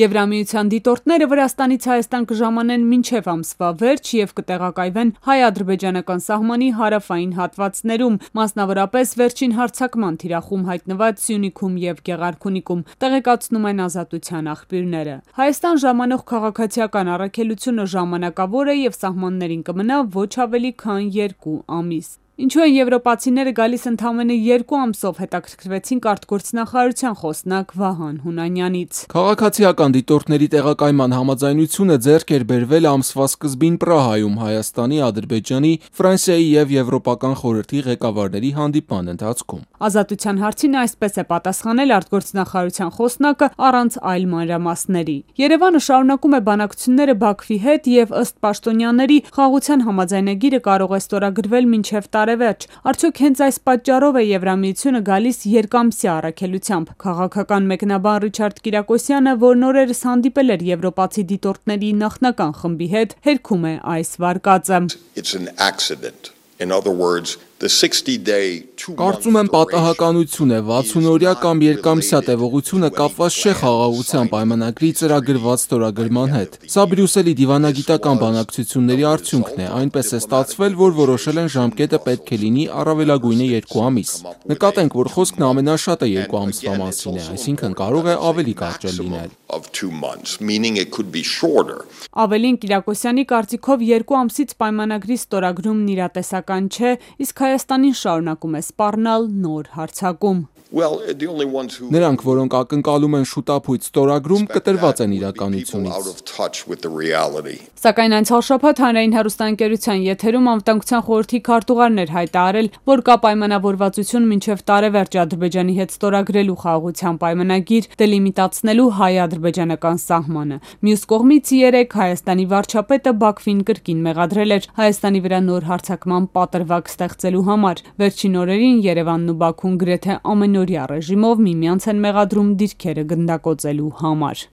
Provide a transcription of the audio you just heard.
Եվրամիության դիտորդները Վրաստանից Հայաստան կժամանեն մինչև ամսվա վերջ և կտեղակայվեն հայ-ադրբեջանական սահմանի հարավային հատվածներում, մասնավորապես վերջին հարձակման թիրախում հայտնված Սյունիքում և Գեղարքունիքում, տեղեկացնում են Ազատության աղբյուրները։ Հայաստան ժամանող քաղաքացիական առաքելությունը ժամանակավոր է և սահմաններին կմնա ոչ ավելի քան 2 ամիս։ Ինչու են եվրոպացիները գալիս ընդամենը 2 ամսով, հետաքրքրվեցինք արտգործնախարարության խոսնակ Վահան Հունանյանից։ Քաղաքացիական դիտորդների տեղակայման համաձայնությունը ձեռք էր բերվել ամսվա սկզբին Պրահայում Հայաստանի, Ադրբեջանի, Ֆրանսիայի և Եվրոպական խորհրդի ղեկավարների հանդիպման ընթացքում։ Ազատության հարցին այսպես է պատասխանել արտգործնախարարության խոսնակը առանց այլ մանրամասների։ Երևանը շարունակում է բանակցությունները Բաքվի հետ և ըստ պաշտոնյաների խաղաղության համաձայնագիրը կարող է ստորագրվել մինչև տարեվերջ։ Արդյոք հենց այս պատճառով է Եվրամիությունը գալիս երկամսյա առաքելությամբ։ Քաղաքական մեկնաբան Ռիչարդ Կիրակոսյանը, որն օրերս հանդիպել էր եվրոպացի դիտորդների նախնական խմբի հետ, հերքում է այս վարկածը։ Կարծում եմ պատահականություն է, 60-օրյա կամ երկամսյա տևողությունը կապված չէ խաղաղության պայմանագրի ծրագրված ստորագրման հետ։ Սա Բրյուսելի դիվանագիտական բանակցությունների արդյունքն է, այնպես է ստացվել, որ որոշել են ժամկետը պետք է լինի առավելագույնը 2 ամիս։ Նկատենք, որ խոսքն ամենաշատը 2 ամսվա մասին է, այսինքն կարող է ավելի կարճ լինել։ Ավելին, Կիրակոսյանի կարծիքով 2 ամսից պայմանագրի ստորագրումն իրատեսական չէ, իսկ Հայաստանին շարունակում է սպառնալ նոր հարձակում։ Նրանք, որոնք ակնկալում են շուտափույթ ստորագրում, կտրված են իրականությունից։ Սակայն անցյալ շաբաթ հանրային հեռուստաընկերության եթերում Անվտանգության խորհրդի քարտուղարն էր հայտարարել, որ կա պայմանավորվածություն մինչև տարեվերջ Ադրբեջանի հետ ստորագրելու խաղաղության պայմանագիր, դելիմիտացնելու հայ-ադրբեջանական սահմանը։ Մյուս կողմից երեկ Հայաստանի վարչապետը Բաքվին կրկին մեղադրել էր Հայաստանի վրա նոր հարձակման պատրվակ ստեղծելու համար։ Վերջին օրերին Երևանն ու Բաքուն գրեթե ամենօրյա ռեժիմով միմյանց են մեղադրում դիրքերը գնդակոծելու համար։